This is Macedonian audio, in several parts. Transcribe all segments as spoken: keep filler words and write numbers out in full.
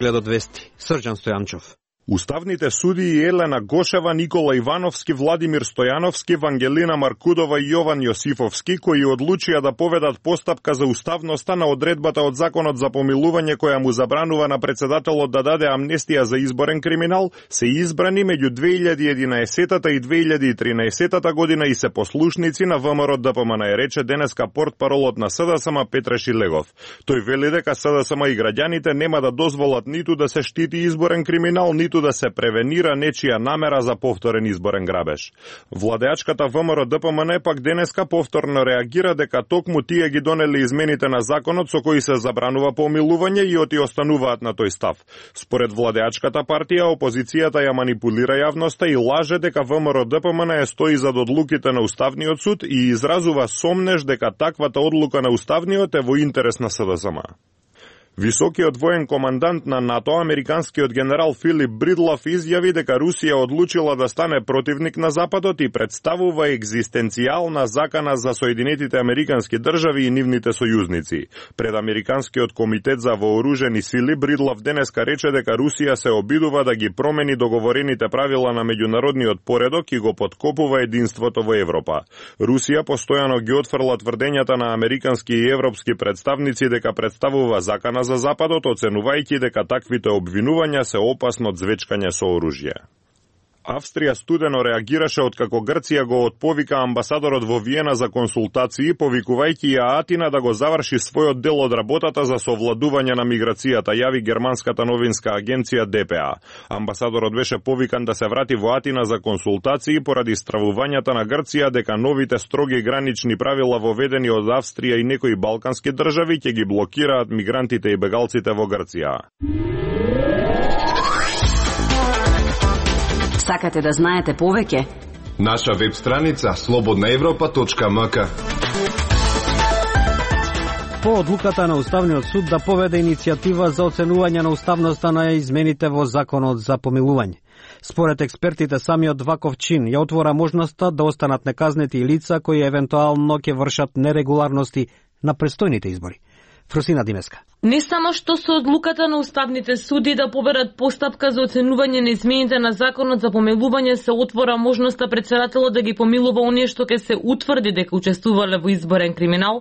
Гледат вести. Срđan Стојанчов. Уставните судии Елена Гошева, Никола Ивановски, Владимир Стојановски, Вангелина Маркудова и Јован Јосифовски, кои одлучија да поведат постапка за уставноста на одредбата од Законот за помилување која му забранува на председателот да даде амнестија за изборен криминал, се избрани меѓу две илјади и единаесетта и две илјади и тринаесетта година и се послушници на ВМРО ДПМН, рече денеска портпаролот на СДСМ Петре Шилегов. Тој вели дека СДСМ и граѓаните нема да дозволат ниту да се штити изборен криминал, ниту да се превенира нечија намера за повторен изборен грабеж. Владеачката ВМРО ДПМН пак денеска повторно реагира дека токму тие ги донели измените на законот со кои се забранува помилување и оти остануваат на тој став. Според владеачката партија, опозицијата ја манипулира јавноста и лаже дека ВМРО ДПМН е стои зад одлуките на Уставниот суд и изразува сомнеж дека таквата одлука на Уставниот е во интерес на СДСМ. Високиот воен командант на НАТО, американскиот генерал Филип Бридлов, изјави дека Русија одлучила да стане противник на Западот и представува екзистенцијална закана за Соединетите американски држави и нивните сојузници. Пред Американскиот комитет за вооружени сили, Бридлов денеска рече дека Русија се обидува да ги промени договорените правила на меѓународниот поредок и го поткопува единството во Европа. Русија постојано ги отфрла тврдењата на американски и европски представници дека представува закана за Западот, оценувајќи дека таквите обвинувања се опасно звечкање со оружје. Австрија студено реагираше откако Грција го отповика амбасадорот во Виена за консултации, повикувајќи ја Атина да го заврши својот дел од работата за совладување на миграцијата, јави германската новинска агенција Д П А. Амбасадорот беше повикан да се врати во Атина за консултации поради стравувањата на Грција дека новите строги гранични правила воведени од Австрија и некои балкански држави ќе ги блокираат мигрантите и бегалците во Грција. Сакате да знаете повеќе? Наша веб страница слободна европа точка ем ка. По одлуката на Уставниот суд да поведе иницијатива за оценување на уставноста на измените во Законот за помилување. Според експертите, самиот ваков чин ја отвора можноста да останат неказнети и лица кои евентуално ќе вршат нерегуларности на престојните избори. Фрусина Димеска. Не само што со одлуката на уставните суди да победат постапка за оценување на измените на Законот за помилување се отвора можноста председателот да ги помилува оние што ќе се утврди дека учествувале во изборен криминал,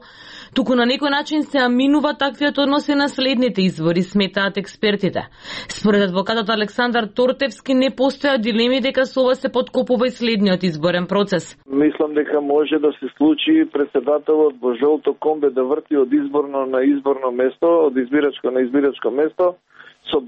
туку на некој начин се аминува таквиот однос и на следните избори, сметаат експертите. Според адвокатот Александар Тортевски не постоја дилеми дека со ова се подкопува и следниот изборен процес. Мислам дека може да се случи председателот во жолто комбе да врти од изборно на изборно место, од избирачко на избирачко место, со